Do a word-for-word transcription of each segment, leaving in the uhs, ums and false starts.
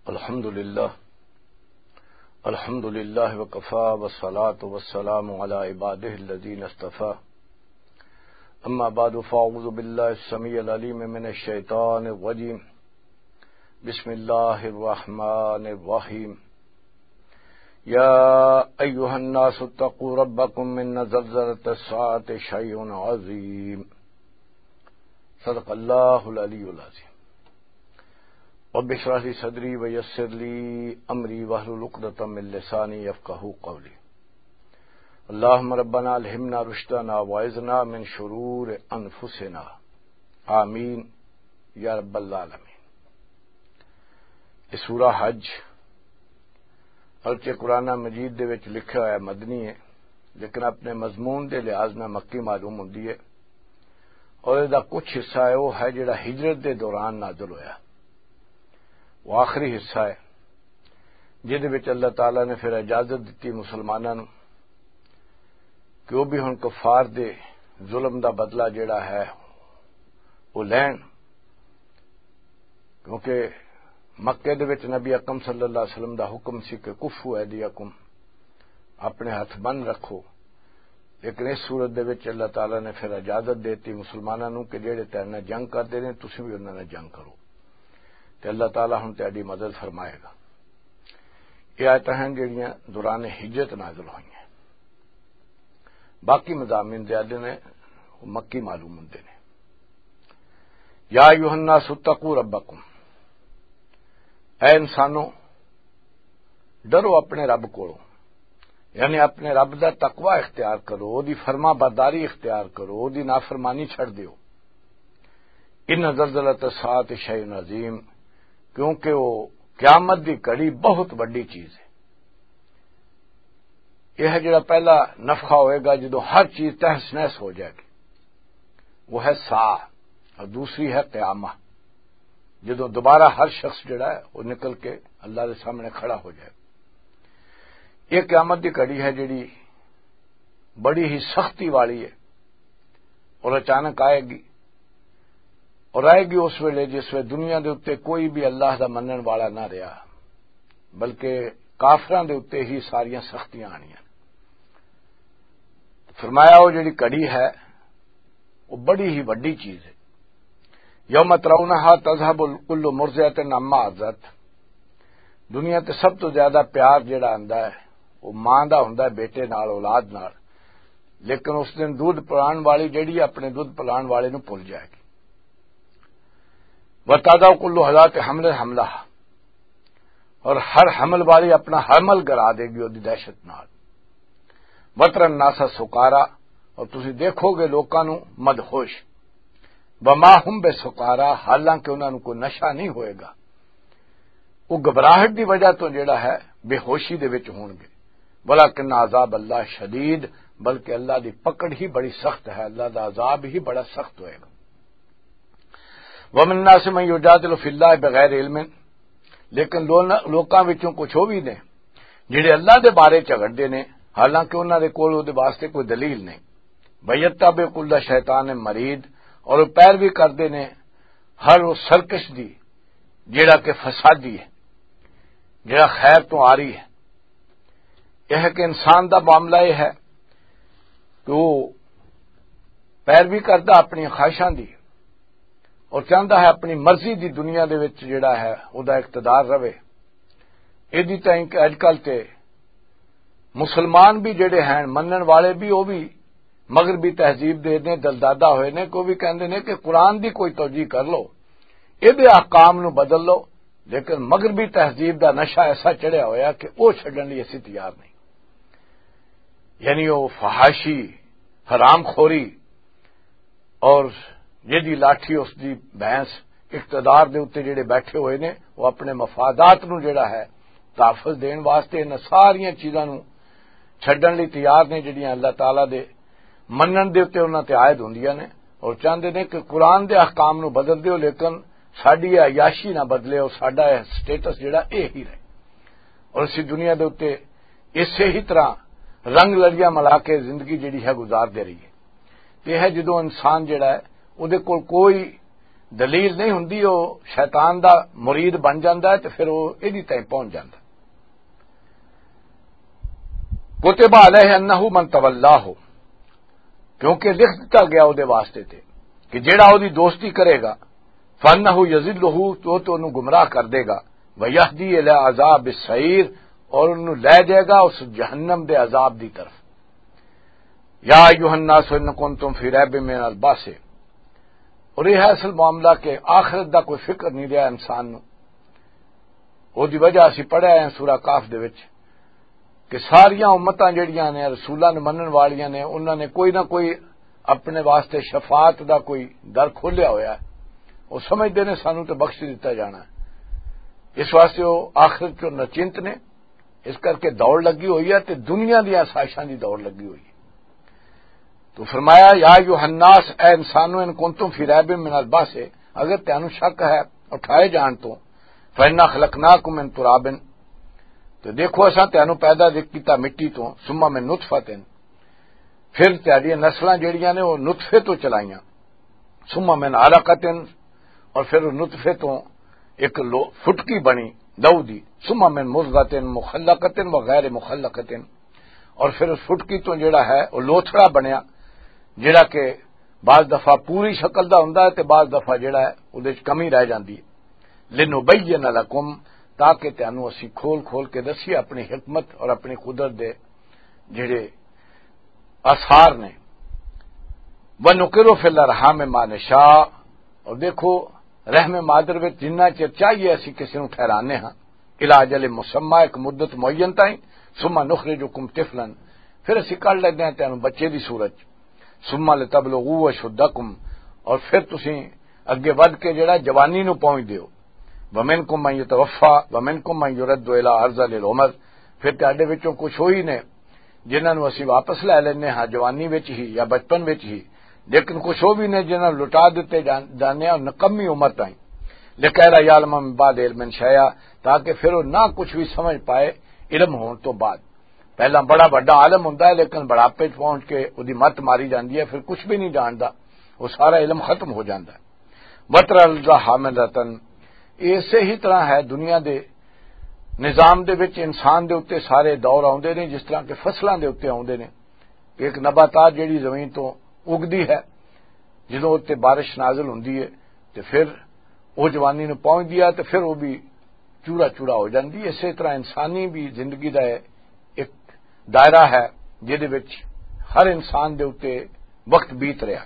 الحمد لله. الحمد لله وكفى، والصلاة والسلام على عباده الذين اصطفى. أما بعد، فأعوذ بالله السميع العليم من الشيطان الرجيم. بسم الله الرحمن الرحيم. يا أيها الناس اتقوا ربكم، إن زلزلة الساعة شيء عظيم. صدق الله العلي العظيم. رب اشرح لي صدري ويسر لي أمري واحلل عقدة من لساني يفقهوا قولي. اللهم ربنا ألهمنا رشدنا وأعذنا من شرور أنفسنا. آمين يا رب العالمين. یہ سورہ حج، اگرچہ قرآن مجید دے وچ لکھا ہوا مدنی ہے، لیکن اپنے مضمون دے لحاظ نال مکی معلوم ہوندی ہے، اور اس دا کچھ حصہ ہے، وہ ہے جڑا ہجرت دے دوران نازل ہویا۔ وہ آخری حصہ ہے، جس وچ اللہ تعالیٰ نے پھر اجازت دتی مسلماناں نوں کہ وہ بھی ہن کفار دے ظلم دا بدلہ جڑا ہے، وہ لین۔ کیونکہ مکے دے وچ نبی اکرم صلی اللہ علیہ وسلم دا حکم سی کہ کفو ایدیکم، اپنے ہتھ بند رکھو۔ لیکن اس صورت دے وچ اللہ تعالیٰ نے پھر اجازت دیتی مسلماناں نوں کہ جڑے تیرے نال جنگ کردے نے، تسی بھی انہاں نال جنگ کرو، تے اللہ تعالیٰ ہن تہاڈی مدد فرمائے گا۔ یہ آیتاں ہیں جڑیاں دوران ہجرت نازل ہوئیاں۔ باقی مضامین زیادہ نے، وہ مکی معلوم ہوندے نے۔ یا ایھا الناس اتقوا ربکم، اے انسانو، ڈرو اپنے رب کولوں، یعنی اپنے رب دا تقوی اختیار کرو، او دی فرما برداری اختیار کرو، او دی نافرمانی چھڑ دیو۔ ان زلزلۃ الساعۃ شیء عظیم، کیونکہ وہ قیامت دی گھڑی بہت وڈی چیز ہے۔ یہ ہے جڑا پہلا نفخہ ہوئے گا، جدوں ہر چیز تہس نہس ہو جائے گی، وہ ہے ساہ، اور دوسری ہے قیامہ، جدوں دوبارہ ہر شخص جڑا ہے، وہ نکل کے اللہ دے سامنے کھڑا ہو جائے۔ یہ قیامت دی گھڑی ہے، جڑی بڑی ہی سختی والی ہے، اور اچانک آئے گی، اور آئے گی اس ویلے جس ویلے دنیا دے اُتے کوئی بھی اللہ دا منن والا نہ رہیا، بلکہ کافراں دے اُتے ہی ساریاں سختیاں آنیاں۔ فرمایا، وہ جڑی گھڑی ہے، وہ بڑی ہی وڈی چیز ہے۔ یوم ترونہا تذہب کل مرضعۃ عما ارضعت۔ دنیا تے سب تو زیادہ پیار جڑا آندا ہے، وہ ماں دا ہوندا ہے بیٹے نال، اولاد نال، لیکن اس دن دودھ پلان والی جڑی اپنے دودھ پلان والے نوں بھل جائے گی۔ وتضع کل ذات حمل حملہا، اور ہر حمل والی اپنا حمل گرا دے گی، اودی دہشت نال۔ وتری الناس سکارا، اور تسی دیکھو گے لوکاں نوں مدہوش۔ وما ہم بسکارا، حالانکہ انہاں نوں کوئی نشہ نہیں ہوئے گا۔ وہ گھبراہٹ دی وجہ تو جڑا ہے، بے ہوشی دے وچ ہون گے۔ ولیکن عذاب اللہ شدید، بلکہ اللہ دی پکڑ ہی بڑی سخت ہے، اللہ دا عذاب ہی بڑا سخت ہوئے گا۔ ومن الناس من یجادل فی اللہ بغیر علم، لیکن لو-، لوکاں وچوں کچھ وہ بھی نے جڑے اللہ دے بارے جھگڑدے نے، حالانکہ انہاں دے کول وہ دے واسطے کوئی دلیل نہیں۔ ویتبع کل شیطان مرید، اور وہ پیروی کردے نے ہر وہ سرکش دی، جڑا کہ فسادی ہے، جڑا خیر تو آ رہی ہے۔ یہ ہے کہ انسان دا معاملہ یہ ہے کہ وہ پیروی کردا اپنی خواہشاں دی، اور چاہندا ہے اپنی مرضی دی دنیا دے وچ جڑا ہے، او دا اقتدار رہے۔ ایدی تائیں کہ اج کل تے مسلمان بھی جڑے ہیں، منن والے بھی، او بھی مغربی تہذیب دے نے دلدادہ ہوئے نے، کہ او بھی کہندے نے کہ قرآن دی کوئی توجیہ کر لو، اے دے احکام نو بدل لو، لیکن مغربی تہذیب دا نشہ ایسا چڑھیا ہویا کہ او چھڈن لئی اسی تیار نہیں۔ یعنی او فحاشی، حرام خوری، اور جدی لاٹھی اس دی بھینس، اقتدار دے اُتے جڑے بیٹھے ہوئے نے، وہ اپنے مفادات نو جڑا ہے تحفظ دین واسطے انہاں ساریاں چیزاں نو چھڈن لئی تیار نے، جڑیاں اللہ تعالیٰ دے منن دے اُتے انہاں تے عائد ہوندیاں نے، اور چاہندے نے کہ قرآن دے احکام نو بدل دیو، لیکن ساڈی یہ عیاشی نہ بدلے، اور ساڈا یہ سٹیٹس جڑا اے ہی رہے، اور اسی دنیا دے اُتے اسے ہی طرح رنگ لڑیاں ملا کے زندگی جڑی ہے گزار دے رہی ہے۔ تے ہے جدوں انسان جڑا ہے، اودے کول کوئی دلیل نہیں ہوندی، وہ شیطان دا مرید بن جاندا ہے تے پھر وہ ایدی تائیں پہنچ جاندا۔ کتب علیہ انہ من تولاہ، کیونکہ لکھ دتا گیا او دے واسطے تے کہ جیڑا او دی دوستی کرے گا، فانہ یضلہ، تو تو انہوں گمراہ کر دے گا، ویہدی الی عذاب السعیر، اور انہوں لے جائے گا اس جہنم دے عذاب دی طرف۔ یا ایھا الناس ان کنتم فی ریب من البعث، اور یہ ہے اصل معاملہ کہ آخرت دا کوئی فکر نہیں رہا انسان نو۔ او دی وجہ اسی پڑھیا ہے سورہ کاف دے وچ کہ ساریاں امتاں جڑیاں نے رسولاں نو منن والیاں نے، انہاں نے کوئی نہ کوئی اپنے واسطے شفاعت دا کوئی در کھولیا ہویا ہے۔ وہ سمجھدے نے سانو تے بخش دتا جانا ہے، اس واسطے وہ آخرت چوں نچنت نے۔ اس کر کے دوڑ لگی ہوئی ہے تے دنیا دی آسائشاں دی دوڑ لگی ہوئی ہے۔ تو فرمایا، یا ایھا الناس، اے انسانو، ان کنتم فی ریب من البعث، اگر تانوں شک ہے اٹھائے جان تو، فإنا خلقناکم من تراب، تو دیکھو اساں تانوں پیدا کیتا مٹی تو، ثم من نطفۃ، پھر تہاڈیاں نسلاں جڑیاں نے وہ نطفے تو چلائیاں، ثم من علقۃ، اور پھر نطفے تو ایک لو- فٹکی بنی لہو دی، ثم من مضغۃ مخلقۃ و غیر مخلقۃ، اور پھر اس فٹکی تو جڑا ہے وہ لوتھڑا بنیا، جڑا کہ بعض دفعہ پوری شکل دا ہوندا ہے تے بعض دفعہ جڑا ہے اودے وچ کمی رہ جاندی ہے۔ لنبین لکم، تاکہ تانوں اسی کھول کھول کے دسیے اپنی حکمت اور اپنی قدرت دے جڑے آثار نے۔ ونقر فی الارحام ما نشاء، اور دیکھو، رحم مادر وچ جنہ چر چاہیے اسی کسی نوں ٹھہرانے ہاں، الی اجل مسمی، ایک مدت معین تائیں، ثم نخرجکم طفلا، پھر اسی کڈ لیندے ہاں تینوں بچے دی صورت، ثم لتبلغوا اشدکم، اور پھر تسی اگے ودھ کے جڑا جوانی نوں پہنچ دیو۔ ومنکم من یتوفی ومنکم من یرد الی ارذل العمر، پھر تہاڈے وچوں کچھ وہی نے جنہاں نوں اسی واپس لے لینے ہاں جوانی وچ ہی یا بچپن وچ ہی، لیکن کچھ وہ بھی نے جنہاں نوں لٹا دتے جان- جانے ہاں نکمی عمر تائیں، لکیلا یعلم من بعد علم شیئا، تاکہ پھر وہ نہ کچھ بھی سمجھ پائے علم ہون تو بعد۔ پہلا بڑا بڑا عالم ہوندا ہے، لیکن بڑھاپے چ پہنچ کے اودی مت ماری جاندی ہے، پھر کچھ بھی نہیں جاندا، وہ سارا علم ختم ہو جاندا ہے۔ وتر الارض حامدتن، یہ اسی ہی طرح ہے دنیا دے نظام دے وچ انسان دے اُتے سارے دور آوندے نے، جس طرح کہ فصلاں دے اُتے آوندے نے۔ ایک نباتات جڑی زمین تو اگدی ہے، جدوں اُتے بارش نازل ہوندی ہے، تے پھر او جوانی نوں پہنچدی ہے، تے پھر او بھی چورا چورا ہو جاندی ہے۔ اسی طرح انسانی بھی زندگی دا ایک دائرہ ہے، جدے وچ ہر انسان دے اُتے وقت بیت رہا۔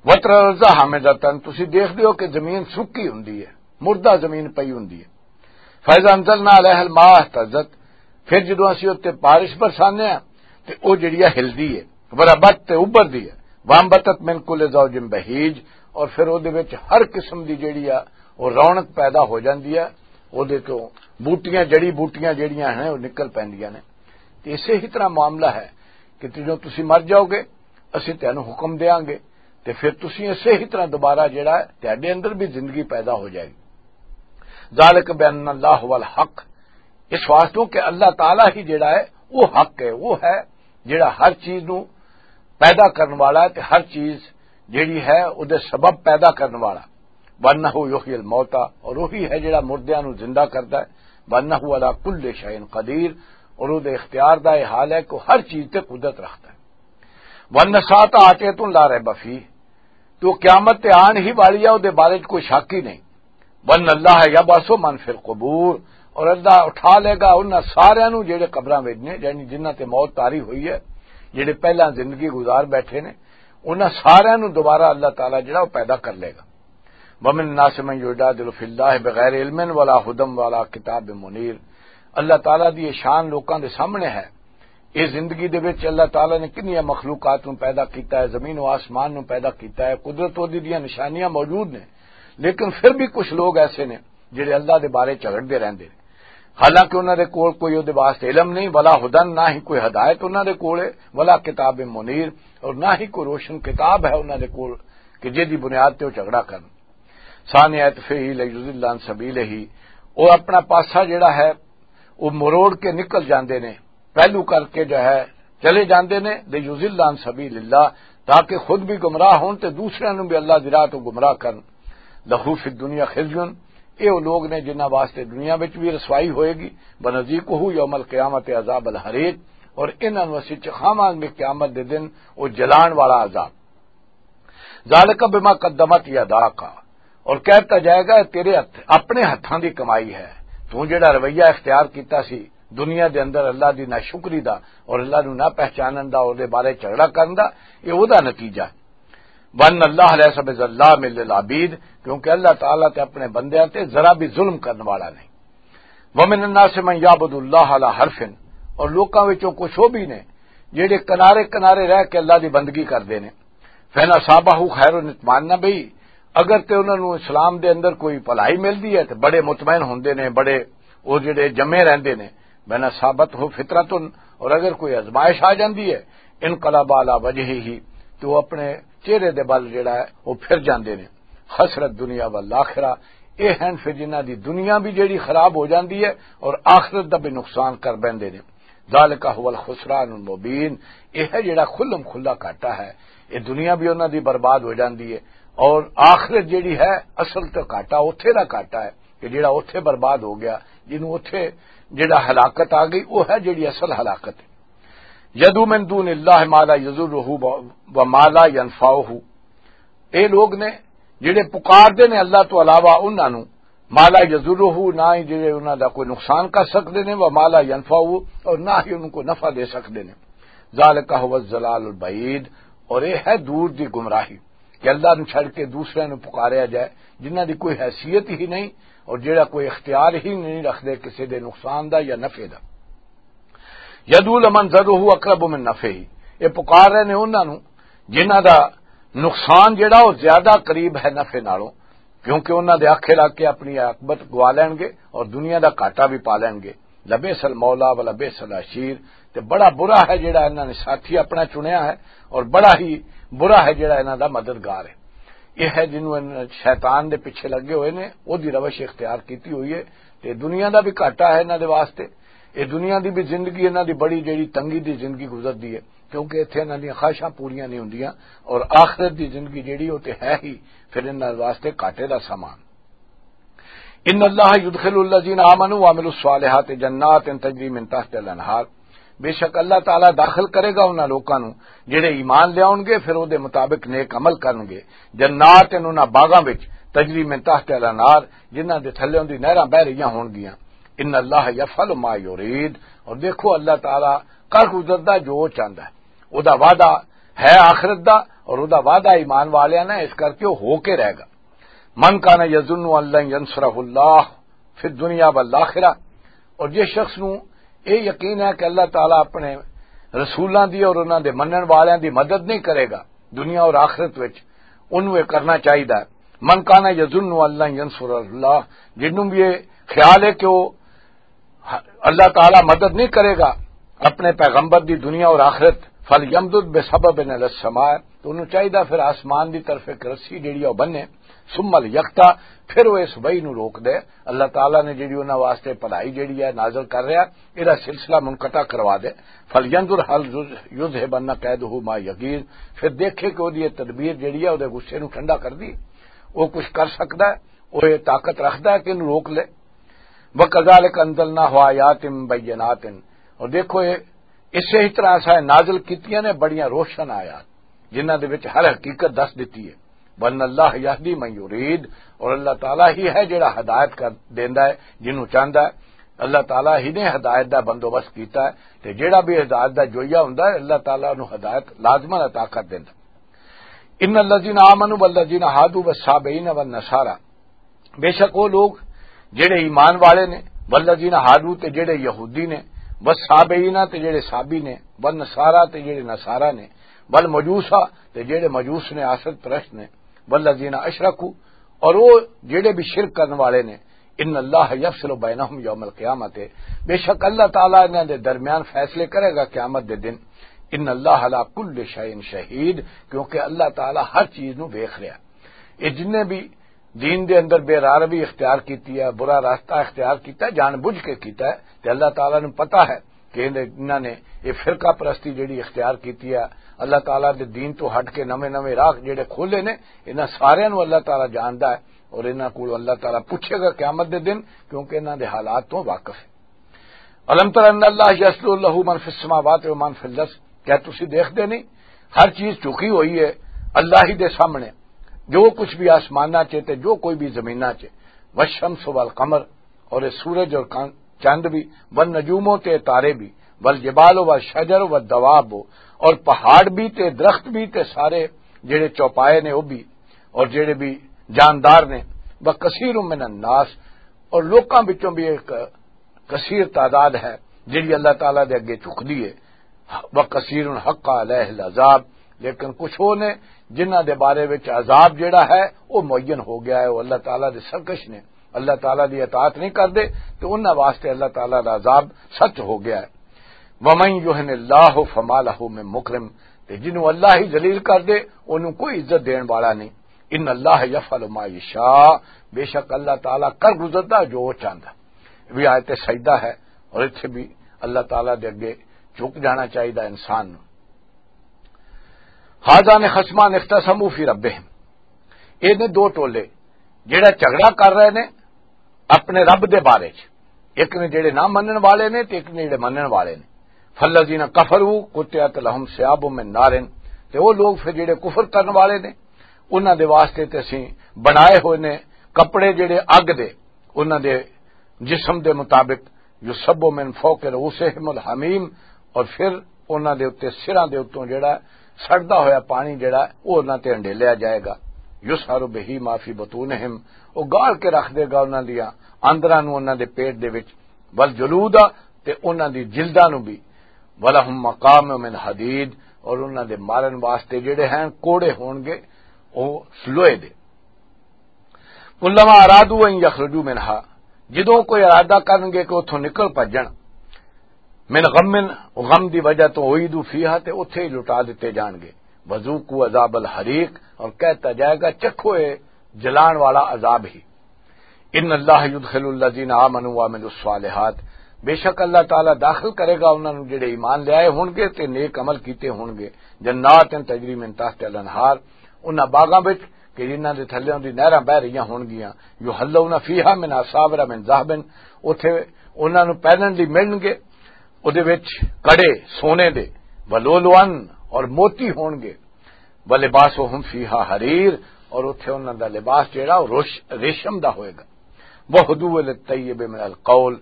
وتر الارض حامدتن، تسی دیکھ دیو کہ زمین سکی ہوندی ہے، مردہ زمین پئی ہوندی ہے۔ فاذا انزلنا علیہ الماء اہتزت، پھر جدوں اسی اُتے بارش برسانے ہاں تے او جڑی ہے ہلدی ہے، وربت تے ابھردی ہے، وانبتت من کل زوج بہیج، اور پھر او دے وچ ہر قسم دی جڑی ہے او رونق پیدا ہو جاندی ہے، او دے تو بوٹیاں، جڑی بوٹیاں جڑیاں ہیں او نکل پیندیاں نے۔ تے اسے ہی طرح معاملہ ہے کہ جدوں تسی مر جاؤ گے، اسی تینوں حکم دیاں گے، تے پھر تسی اسے ہی طرح دوبارہ جڑا ہے تہاڈے اندر بھی زندگی پیدا ہو جائے گی۔ ذالک بان اللہ هو الحق، اس واسطے کہ اللہ تعالیٰ ہی جڑا ہے وہ حق ہے، وہ ہے جڑا ہر چیز نو پیدا کرن والا ہے تے ہر چیز جڑی ہے او دے سبب پیدا کرن والا۔ وانہ یحیی الموتیٰ، اور وہی ہے جڑا مردیاں نو زندہ کردا ہے۔ وانہ علی کل شیء قدیر، اور او دے اختیار دا یہ حال ہے کہ وہ ہر چیز تے قدرت رکھدا ہے۔ وان الساعۃ آتیۃ لا ریب فیہ، تو قیامت تے آن ہی والی ہے، او دے بارے چ کوئی شک ہی نہیں۔ وان اللہ یبعث من فی القبور، اور اللہ اٹھا لے گا انہاں ساریاں نو جڑے قبراں وچ نے، یعنی جنہاں تے موت طاری ہوئی ہے، جڑے پہلاں زندگی گزار بیٹھے نے، انہاں ساریاں نو دوبارہ اللہ تعالیٰ جڑا وہ پیدا کر لے گا۔ ومن الناس من یجادل فی اللہ بغیر علم ولا ہدی ولا کتاب منیر۔ اللہ تعالیٰ دی یہ شان لوکاں دے سامنے ہے۔ اس زندگی دے وچ اللہ تعالیٰ نے کنیاں مخلوقات نوں پیدا کیتا ہے، زمین و آسمان نوں پیدا کیتا ہے، قدرت اودی دیاں نشانیاں موجود نے، لیکن پھر بھی کچھ لوگ ایسے نے جڑے اللہ دے بارے جھگڑدے رہندے نے، حالانکہ انہاں دے کول کوئی اودے واسطے علم نہیں، ولا ہدن، نہ ہی کوئی ہدایت انہاں دے کول ہے، ولا کتاب منیر، اور نہ ہی کوئی روشن کتاب ہے انہاں دے کول کہ جے دی بنیاد تے وہ جھگڑا کرن۔ ثانی عطفہ لیضل عن سبیلہ، وہ اپنا پاسا جڑا ہے وہ مروڑ کے نکل جاندے نے، پہلو کر کے جو ہے چلے جاندے نے، لیضل عن سبیل اللہ، تاکہ خود بھی گمراہ ہون تے دوسرے نوں بھی اللہ دی راہ تو گمراہ کرن۔ لہو فی الدنیا خزیون، اے او لوگ نے جنہاں واسطے دنیا وچ بھی رسوائی ہوئے گی، ونذیقہ یوم القیامت عذاب الحریق، اور انہاں نوں اسی چکھاواں گے قیامت دے دن او جلان والا عذاب۔ ذالک بما قدمت یداک، اور کہتا جائے گا، تیرے ہتھ، اپنے ہتھاں دی کمائی ہے۔ تو جڑا رویہ اختیار کیتا سی دنیا دے اندر اللہ دی ناشکری دا اور اللہ نوں نہ پہچانن دا، اور دے بارے جھگڑا کرن دا، یہ او دا نتیجہ ہے۔ وَأَنَّ اللَّهَ لَيْسَ بِظَلَّامٍ لِّلْعَبِيدِ، کیونکہ اللہ تعالیٰ تے اپنے بندیاں تے ذرا بھی ظلم کرن والا نہیں۔ وَمِنَ النَّاسِ مَن يَعْبُدُ اللَّهَ عَلَىٰ حَرْفٍ، اور لوکاں وچوں کچھ وہ بھی نے جڑے کنارے کنارے رہ کے اللہ دی بندگی کردے نے۔ فَإِنْ أَصَابَهُ خَيْرٌ اطْمَأَنَّ بِهِ، اگر تے انہاں نوں اسلام دے اندر کوئی بھلائی ملدی ہے تے بڑے مطمئن ہوندے نے، بڑے وہ جڑے جمے رہندے نے۔ وَإِنْ أَصَابَتْهُ فِتْنَةٌ، اور اگر کوئی آزمائش آ جاندی ہے، انقلب علی وجہہ، تو وہ اپنے چہرے دے بل جڑا ہے وہ پھر جاندے نے۔ خسرت دنیا والآخرہ، اے ہن پھر جنہاں دی دنیا بھی جڑی خراب ہو جاندی ہے اور آخرت دا بھی نقصان کر بیندے نے۔ ذالک هو الخسران المبین، یہ ہے جڑا کھلم کھلا گھاٹا ہے۔ یہ دنیا بھی انہاں دی برباد ہو جاندی ہے اور آخرت جڑی ہے، اصل تو گھاٹا اوتھے دا گھاٹا ہے کہ جڑا اوتھے برباد ہو گیا، جنوں اوتھے جڑا ہلاکت آ گئی، وہ ہے جڑی اصل ہلاکت ہے۔ یدعو من دون اللہ ما لا یضرہ و ما لا ینفعہ، اے لوگ نے جڑے پکار دے نے اللہ تو علاوہ انہاں نوں، ما لا یضرہ، نہ ہی جڑے انہاں دا کوئی نقصان کر سکدے نے، و ما لا ینفعہ، اور نہ ہی انہاں کو نفع دے سکدے نے۔ ذالک هو الضلال البعید، اور یہ ہے دور دی گمراہی کہ اللہ نوں چھڑ کے دوسرے نوں پکاریا جائے، جنہاں دی کوئی حیثیت ہی نہیں اور جڑا کوئی اختیار ہی نہیں رکھدے کسی دے نقصان دا یا نفع دا۔ یدعو لمن ضرہ اقرب من نفعہ، یہ پکار رہے نے انہاں نوں جنہاں دا نقصان جڑا وہ زیادہ قریب ہے نفع نالوں، کیونکہ انہاں دے آکھے لگ کے اپنی عاقبت گوا لین گے اور دنیا دا گھاٹا بھی پا لین گے۔ لبئس المولا و لبئس العشیر، تے بڑا برا ہے جڑا انہاں نے ساتھی اپنا چنیا ہے، اور بڑا ہی برا ہے جڑا انہاں دا مددگار ہے۔ یہ ہے جنہوں ان شیطان دے پیچھے لگے ہوئے نے، او دی روش اختیار کیتی ہوئی ہے، تے دنیا دا بھی گھاٹا ہے انہاں دے واسطے۔ یہ دنیا دی بھی زندگی انہاں دی بڑی جڑی تنگی دی زندگی گزردی ہے، کیونکہ اتھے انہاں دیاں خواہشاں پوریاں نہیں ہوندیاں، اور آخرت دی زندگی جڑی او تے ہے ہی پھر انہاں واسطے گھاٹے دا سامان۔ ان اللہ یدخل الذین آمنوا وعملوا الصالحات جنات تجری من تحت الانہار، بے شک اللہ تعالیٰ داخل کرے گا انہاں لوکاں نوں جڑے ایمان لے آؤن گے، پھر او دے مطابق نیک عمل کرن گے، جنات، انہاں باغاں وچ، تجری من تحت الانہار، جنہاں دے تھلے دی نہراں بہ رہیاں ہون گیاں۔ ان اللہ یفعل ما یرید، اور دیکھو اللہ تعالیٰ کر گزردا جو وہ چاہندا ہے۔ او دا وعدہ ہے آخرت دا، اور او دا وعدہ ایمان والیاں نے، اس کر کے وہ ہو کے رہے گا۔ من کان یظن ان لن ینصرہ اللہ فی الدنیا والآخرہ، اور جس شخص نوں یہ یقین ہے کہ اللہ تعالیٰ اپنے رسولاں دی اور انہاں دے منن والیاں دی مدد نہیں کرے گا دنیا اور آخرت وچ، انہوں یہ کرنا چاہیدا ہے۔ من کان یظن ان لن ینصر اللہ، جنوں بھی یہ خیال ہے کہ وہ اللہ تعالیٰ مدد نہیں کرے گا اپنے پیغمبر دی دنیا اور آخرت، فَلْيَمْدُدْ بِسَبَبٍ إِلَى السَّمَاءِ، تو انہوں چاہیدا پھر آسمان دی طرف ایک رسی جڑی ہے وہ بننے، ثُمَّ لِيَقْطَعْ، پھر وہ اس وحی نو روک دے۔ اللہ تعالیٰ نے جڑی انہاں واسطے بھلائی جڑی ہے نازل کر رہا، ایرا سلسلہ منقطع کروا دے۔ فَلْيَنْظُرْ هَلْ يُذْهِبَنَّ كَيْدُهُ مَا يَغِيظُ، پھر دیکھے کہ وہ دی یہ تدبیر جڑی ہے وہ دے غصے نو ٹھنڈا کر دی، وہ کچھ کر سکدا ہے، وہ یہ طاقت رکھدا ہے کہ انہوں روک لے۔ وَكَذَلِكَ أَنزَلْنَاهُ آيَاتٍ بَيِّنَاتٍ، اور دیکھو یہ اسی طرح اساں نازل کیتیاں نے بڑیاں روشن آیات، جنہاں دے وچ ہر حقیقت دس دتی ہے۔ وَأَنَّ اللَّهَ يَهْدِي مَن يُرِيدُ، اور اللہ تعالیٰ ہی ہے جڑا ہدایت کر دیندا ہے جنوں چاہندا ہے۔ اللہ تعالیٰ ہی نے ہدایت دا بندوبست کیتا ہے، تے جڑا بھی ہدایت دا جوئیہ ہوندا ہے، اللہ تعالیٰ نو ہدایت لازماً عطا کر دیندا۔ ان الذین آمنوا والذین ہادوا والصابئین والنصارى، بے شک وہ لوگ جڑے ایمان والے نے، والذین ہادوا، تے جڑے یہودی نے، والصابئین، تے جڑے صابی نے، والنصارى، تے جڑے نصارا نے، والمجوسا، تے جڑے مجوس نے، آسد پرست نے، والذین اشرکوا، اور وہ جڑے بھی شرک کرنے والے نے، ان اللہ یفصل بینہم یوم القیامت، بے شک اللہ تعالیٰ انہاں دے درمیان فیصلے کرے گا قیامت دے دن۔ ان اللہ علی کل شیء شہید، کیونکہ اللہ تعالیٰ ہر چیز نو ویکھ رہا۔ یہ جن نے بھی دین دے اندر بے راہ روی اختیار کیتی ہے، برا راستہ اختیار کیتا ہے، جان بوجھ کے کیتا ہے، تے اللہ تعالیٰ نو پتہ ہے کہ انہاں نے یہ فرقہ پرستی جڑی اختیار کیتی ہے، اللہ تعالیٰ دے دین تو ہٹ کے نویں نویں راہ جڑے کھولے نے، انہاں سارے نو اللہ تعالیٰ جاندا ہے۔ اور انہاں کول اللہ تعالیٰ پوچھے گا قیامت دے دن، کیونکہ انہاں دے حالات تو واقف ہے۔ الم تر ان اللہ یسجد لہ من فی السماوات و من فی الارض، کیا تسی دیکھدے نہیں؟ ہر چیز جھکی ہوئی ہے اللہ ہی دے سامنے، جو کچھ بھی آسماناں چ تے جو کوئی بھی زمیناں چ۔ والشمس والقمر، اور یہ سورج اور کان-، چاند بھی، والنجوم، تے تارے بھی، والجبال والشجر والدواب، اور پہاڑ بھی تے درخت بھی تے سارے جڑے چوپائے نے وہ بھی، اور جڑے بھی جاندار نے، وکثیر من الناس، اور لوکاں وچوں بھی ایک کثیر تعداد ہے جڑی اللہ تعالیٰ دے اگے جھکدی ہے۔ وکثیر حق علیہ العذاب، لیکن کچھ وہ نے جنہاں دے بارے وچ عذاب جڑا ہے وہ معین ہو گیا ہے، وہ اللہ تعالیٰ دے سرکش نے، اللہ تعالیٰ دی اطاعت نہیں کردے، تو انہاں واسطے اللہ تعالیٰ دا عذاب سچ ہو گیا ہے۔ ومن یہن اللہ فما لہ من مکرم، تے جنوں اللہ ہی ذلیل کر دے، انہوں کوئی عزت دین والا نہیں۔ ان اللہ یفعل ما یشاء، بے شک اللہ تعالیٰ کر گزردا جو وہ چاہندا۔ یہ بھی آیت سجدہ ہے، اور اتھے بھی اللہ تعالیٰ دے اگے جھک جانا چاہیے انسان نوں۔ ہذان خصمان اختصموا فی ربہم، یہ نے دو ٹولے جڑا جھگڑا کر رہے نے اپنے رب دے بارے چ۔ ایک نے جڑے نہ منن والے نے تے ایک نے جڑے منن والے نے۔ فالذین کفروا قطعت لهم ثیاب من نار، تے وہ لوگ پھر جڑے کفر کرن والے نے، انہاں دے واسطے تے اسیں بنائے ہوئے نے کپڑے جڑے اگ دے، انہاں دے جسم دے مطابق۔ یصب من فوق رؤوسہم الحمیم، اور پھر انہاں دے اُتے، سراں دے اُتوں جڑا سڑدا ہویا پانی جڑا، او انہاں تے ہنڈیلیا جائے گا۔ یصہر بہ ما فی بطونہم، او گال کے رکھ دے گا انہاں دیاں اندراں نوں، انہاں دے پیٹ دے وچ۔ والجلود، تے انہاں دی جلداں نوں بھی۔ ولہم مقام من حدید، اور انہاں دے مارن واسطے جڑے ہیں کوڑے ہون گے، او لوہے دے۔ کلما ارادو ان یخرجوا منہا، جدوں کوئی ارادہ کرن گے کہ اتھوں نکل بھجن، من غم، غم دی وجہ تو اعیدوا فیہا، تے اتھے ہی لٹا دتے جان گے۔ وذوقوا عذاب الحریق، اور کہتا جائے گا چکھو اے جلان والا عذاب ہی۔ ان اللہ یدخل الذین آمنوا وعملوا الصالحات، بے شک اللہ تعالیٰ داخل کرے گا انہاں نوں جڑے ایمان لے آئے ہون گے تے نیک عمل کیتے ہون گے، جنات تجری من تحت الانہار، انہاں باغاں وچ کہ جنہاں دے تھلے دی نہراں بہ رہیاں ہون گیاں۔ یحلون فیہا من اساور من ذہب، اوتھے انہاں نوں پہنن دی ملن گے اودے وچ کڑے سونے دے، ولؤلؤا، اور موتی ہون گے، ولباسہم فیہا حریر، اور اوتھے انہاں دا لباس جیڑا او روش-، ریشم دا ہوئے گا۔ وہدوا الی الطیب من القول،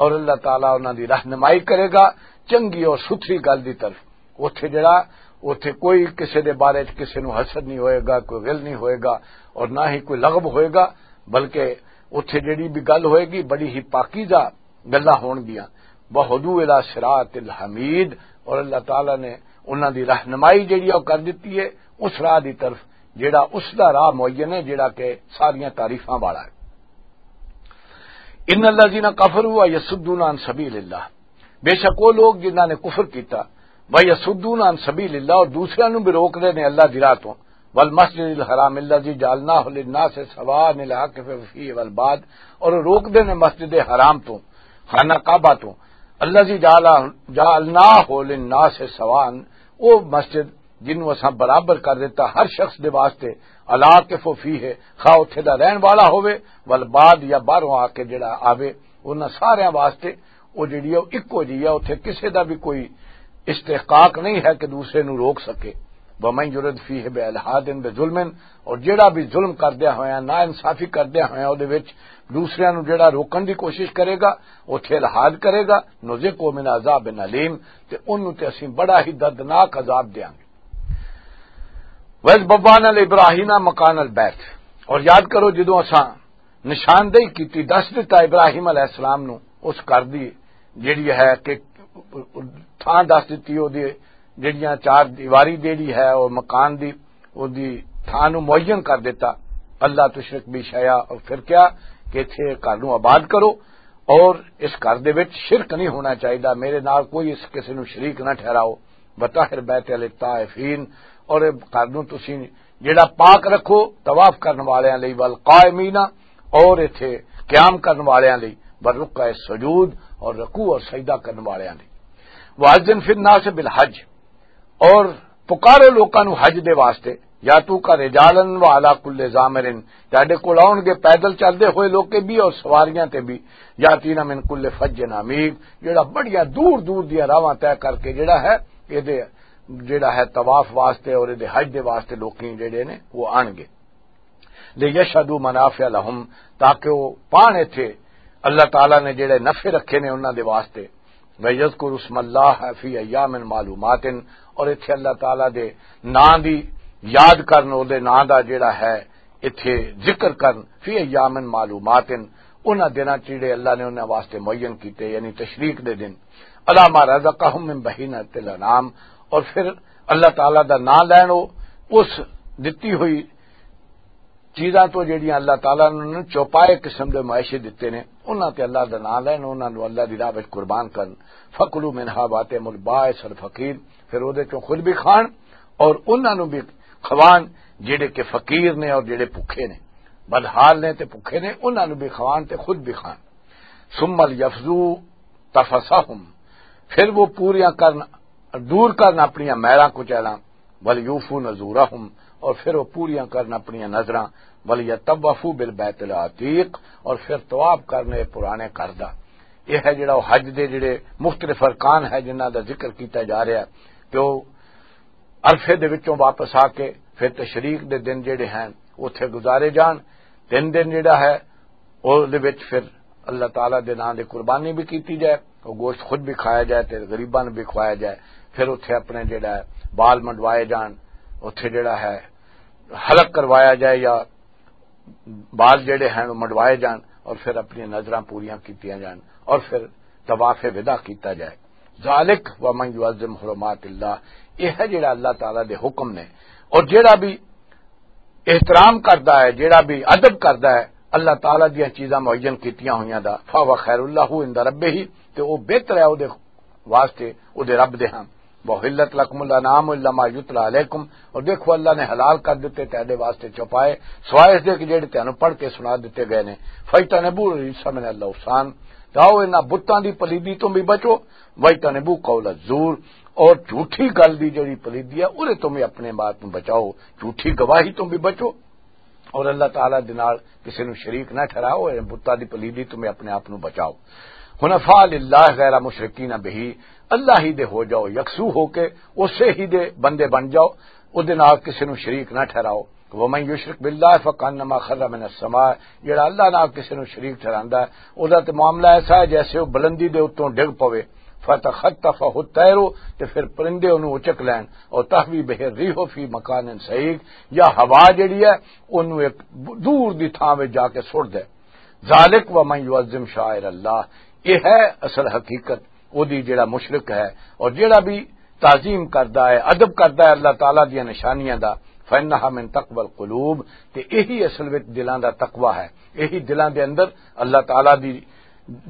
اور اللہ تعالیٰ انہاں دی رہنمائی کرے گا چنگی اور ستھری گل دی طرف۔ اوتھے جڑا، اوتھے کوئی کسے دے بارے چ کسے نوں حسد نہیں ہوئے گا، کوئی غل نہیں ہوئے گا، اور نہ ہی کوئی لغو ہوئے گا، بلکہ اوتھے جڑی بھی گل ہوئے گی بڑی ہی پاکیزہ گلاں ہون گیاں۔ وہدوا الی صراط الحمید، اور اللہ تعالیٰ نے انہاں دی رہنمائی جڑی او کر دتی ہے اس راہ دی طرف، جڑا اس دا راہ معین ہے جڑا کہ ساریاں تعریفاں والا ہے۔ ان الذین کفروا یصدون عن سبیل اللہ، بے شک وہ لوگ جنہاں نے کفر کیتا، ویصدون عن سبیل اللہ، اور دوسرے نوں بھی روک دے نے اللہ دی راہ تو۔ والمسجد الحرام الذی جعلناہ للناس سواء العاکف فیہ والباد، اور روک دے نے مسجد حرام تو، خانہ کعبہ تو، الذی جعل-، جعلناہ للناس سواء، وہ مسجد جنوں اساں برابر کر دیتا ہر شخص دے واسطے، العاکف فیہ، خواہ اتھے دا رہن والا ہووے، والباد، یا باہروں آ کے جڑا آوے، انہاں ساریاں واسطے وہ جڑی ہے، وہ اکو جی ہے، اتھے کسے دا بھی کوئی استحقاق نہیں ہے کہ دوسرے نو روک سکے۔ ومن یرد فیہ بالحاد بظلم، اور جڑا بھی ظلم کردیا ہویا، نا انصافی کردیا ہویا، او دے وچ دوسریاں نو جڑا روکن دی کوشش کرے گا، اتھے الحاد کرے گا، نذقہ من عذاب علیم، تے انہوں تے اسیں بڑا ہی دردناک عذاب دیاں گے۔ وَإِذْ بَوَّأْنَا لِإِبْرَاهِيمَ مَكَانَ الْبَيْتِ، اور یاد کرو جدوں اساں نشاندہی کیتی، دس دتا ابراہیم علیہ السلام نو اس گھر دی جڑی ہے کہ تھاں دس دتی، او دی جڑیاں چار دیواری جڑی ہے اور مکان دی، او دی تھاں نو معین کر دیتا، اللہ تشرک بی شیئا۔ اور پھر کیا کہ اتھے گھر نو آباد کرو اور اس گھر دے وچ شرک نہیں ہونا چاہیدا، میرے نال کوئی اس کسے نو شریک نہ ٹھہراؤ۔ وطہر بیت للطائفین، اور اے گھر نوں تسی جڑا پاک رکھو طواف کرن والیاں لئی، والقائمین، اور ایتھے قیام کرن والیاں لئی، والرکع السجود، اور رکوع اور سجدہ کرن والیاں لئی۔ وَأَذِّن فِي النَّاسِ بِالْحَجِّ، اور پکارو لوکاں نوں حج دے واسطے، یا تو کا رجالن و علی کل ضامرن، تہاڈے کول آؤن گے پیدل چلدے ہوئے لوکے بھی اور سواریاں تے بھی، یاتینا من کل فج عمیق، جڑا بڑیاں دور دور دیاں راہواں طے کر کے جڑا ہے، اے دے جڑا ہے طواف واسطے اور اے دے حج دے واسطے لوکی جڑے نے وہ آن گے۔ لیشہدوا منافع لہم، تاکہ وہ پان ایتھے اللہ تعالیٰ نے جڑے نفع رکھے نے انہاں دے واسطے۔ وَيَذْكُرُوا اسْمَ اللَّهِ فِي أَيَّامٍ مَّعْلُومَاتٍ، اور ایتھے اللہ تعالیٰ دے ناں دی یاد کرن، او دے ناں دا جڑا ہے ایتھے ذکر کرن، فی ایام معلومات، انہاں دناں چ جڑے اللہ نے انہاں واسطے معین کیتے، یعنی تشریق دے دن، علی ما رزقہم من بہیمۃ الانعام، اور پھر اللہ تعالیٰ دا ناں لین او اس دتی ہوئی چیزاں تو جڑیاں اللہ تعالیٰ نے انہاں نوں چوپائے قسم دے معاشے دتے نے، انہاں تے اللہ دا ناں لین، انہاں نوں اللہ دی راہ وچ قربان کرن۔ فَكُلُوا مِنْهَا وَأَطْعِمُوا الْبَائِسَ الْفَقِيرَ، پھر اودے چوں خود بھی کھان اور انہاں نوں بھی کھوان، جڑے کہ فقیر نے اور جڑے بھکھے نے، بدحال نے تے بھکھے نے، انہاں نوں بھی کھوان تے خود بھی کھان۔ ثُمَّ لْيَقْضُوا تَفَثَهُمْ، پھر وہ پوریاں کرن، دور کرن اپنیاں میراں کچیلاں، وَلْيُوفُوا نُذُورَهُمْ، اور پھر وہ پوریاں کرن اپنیاں نذراں، وَلْيَطَّوَّفُوا بِالْبَيْتِ الْعَتِيقِ، اور پھر طواف کرن اے پرانے گھر دا۔ یہ ہے جڑا وہ حج دے جڑے مختلف ارکان ہے جنہاں دا ذکر کیتا جا رہا ہے کہ وہ عرفے دے وچوں واپس آ کے پھر تشریق دے دن جڑے ہیں اوتھے گزارے جان۔ تین دن جڑا ہے او دے وچ پھر اللہ تعالیٰ دے نام دی قربانی بھی کیتی جائے، او گوشت خود بھی کھایا جائے تے غریباں نوں بھی کھوایا جائے۔ پھر اوتھے اپنے جڑا ہے بال منڈوائے جان، اوتھے جڑا ہے حلق کروایا جائے یا بال جڑے ہیں وہ منڈوائے جان اور پھر اپنی نظراں پوریاں کیتیاں جان اور پھر طواف وداع کیتا جائے۔ ذالک ومن یعظم حرمات اللہ، یہ ہے جڑا اللہ تعالیٰ دے حکم نے، اور جڑا بھی احترام کردا ہے، جڑا بھی ادب کردا ہے اللہ تعالیٰ دیاں چیزاں معین کیتیاں ہوئیاں دا، فہو خیر اللہ عند ربہ، تے او بہتر ہے او دے واسطے او دے رب دے ہاں۔ وحلت لکم الانعام الا ما یتلی علیکم، اور دیکھو اللہ نے حلال کر دیتے تہاڈے واسطے چوپائے، سوائے اس دے کہ جڑے تانوں پڑھ کے سنا دیتے گئے نے۔ فاجتنبوا الرجس من الاوثان، جاؤ انہاں بتاں دی پلیدی تو بھی بچو، واجتنبوا قول الزور، اور جھوٹی گل دی جڑی پلیدی ہے اودے تو بھی اپنے آپ نوں بچاؤ، جھوٹی گواہی تو بھی بچو۔ اور اللہ تعالیٰ دے نال کسے نوں شریک نہ ٹھہراؤ، اور بتاں دی پلیدی تو میں اپنے آپ نوں بچاؤ۔ حنفاء للہ غیر مشرکین بہ، اللہ ہی دے ہو جاؤ، یکسو ہو کے اسے ہی دے بندے بن جاؤ، او دے نال کسے نوں شریک نہ ٹھہراؤ۔ ومن یشرک باللہ فکانما خر من السماء، جڑا اللہ نال کسے نوں شریک ٹھہراندا ہے، او دا تے معاملہ ایسا ہے جیسے او بلندی دے اتوں ڈگ پوے۔ فتخطفہ الطیر، تے پھر پرندے اونوں اچک لین، اور تہوی بہ الریح فی مکان سعیق، یا ہوا جڑی ہے اونوں ایک دور دی تھاں وچ جا کے سٹ دے۔ ذالک ومن یعظم شعائر اللہ، یہ ہے اصل حقیقت، او دی جڑا مشرک ہے اور جڑا بھی تعظیم کردا ہے، ادب کردا ہے اللہ تعالیٰ دیاں نشانیاں دا، فانہا من تقوی القلوب، تے یہی اصل وچ دلاں دا تقوی ہے، یہی دلاں دے اندر اللہ تعالیٰ دی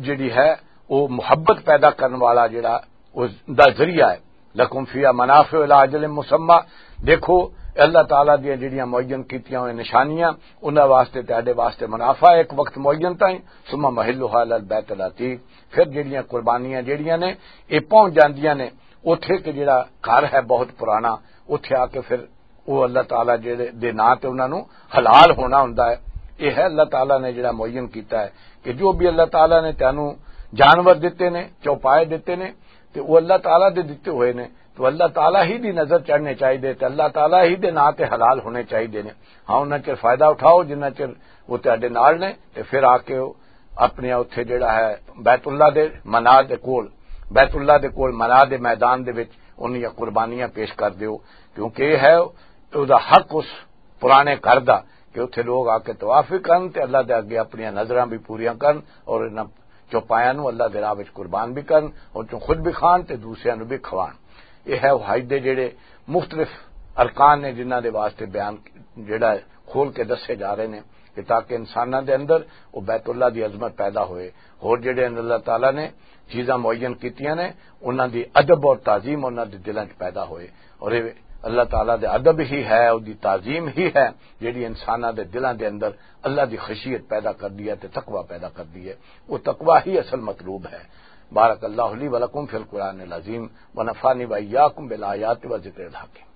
جڑی ہے او محبت پیدا کرن والا جڑا او دا ذریعہ ہے۔ لکم فیہا منافع الی اجل مسمی، دیکھو اللہ تعالیٰ دیاں جڑیاں معین کیتیاں ہوئیاں نشانیاں، انہاں واسطے تہاڈے واسطے منافع ہے ایک وقت معین تائیں، ثم محلھا الی البیت العتیق، پھر جڑیاں قربانیاں جڑیاں نے اے پہنچ جاندیاں نے اوتھے کہ جڑا گھر ہے بہت پرانا، اوتھے آ کے پھر او اللہ تعالیٰ جڑے دے ناں تے انہاں نوں حلال ہونا ہوندا ہے۔ اے ہے اللہ تعالیٰ نے جڑا معین کیتا ہے کہ جو بھی اللہ تعالیٰ نے تینوں جانور دتے نے، چوپائے دتے نے، تے او اللہ تعالیٰ دے دتے ہوئے نے، تو اللہ تعالیٰ ہی دی نظر چڑھنے چاہیے تے اللہ تعالیٰ ہی دے ناں تے حلال ہونے چاہیے نے۔ ہاں، انہاں چر فائدہ اٹھاؤ جنہاں چر وہ تہاڈے نال نے، تے پھر آ کے او اپنے اتھے جڑا ہے بیت اللہ دے منا دے کول، بیت اللہ دے کول منا دے میدان دے وچ انہاں قربانیاں پیش کر دیو، کیونکہ یہ ہے او دا حق اس پرانے گھر دا کہ اتھے لوگ آ کے طواف بھی کرن تے اللہ دے اگے اپنی نظراں بھی پوریاں کرن اور انہاں چوپایاں نوں اللہ دے راہ وچ قربان بھی کرن اور چوں خود بھی کھان تے دوسریاں نوں بھی کھوان۔ یہ ہے حج دے جڑے مختلف ارکان نے جنہاں دے واسطے بیان جڑا ہے کھول کے دسے جا رہے نے کہ تاکہ انساناں دے اندر وہ بیت اللہ دی عظمت پیدا ہوئے، اور جڑے اللہ تعالیٰ نے چیزاں معین کیتیاں نے انہاں دی ادب اور تعظیم انہاں دے دلاں چ پیدا ہوئے، اور یہ اللہ تعالیٰ دے ادب ہی ہے، اس دی تعظیم ہی ہے جڑی انساناں دے دلاں دے اندر اللہ دی خشیت پیدا کر دی ہے تے تقوی پیدا کر دی ہے۔ وہ تقوی ہی اصل مطلوب ہے۔ بارک اللہ لی ولکم فی القرآن العظیم، ونفعنی وإیاکم بالآیات و ذکر الحکیم۔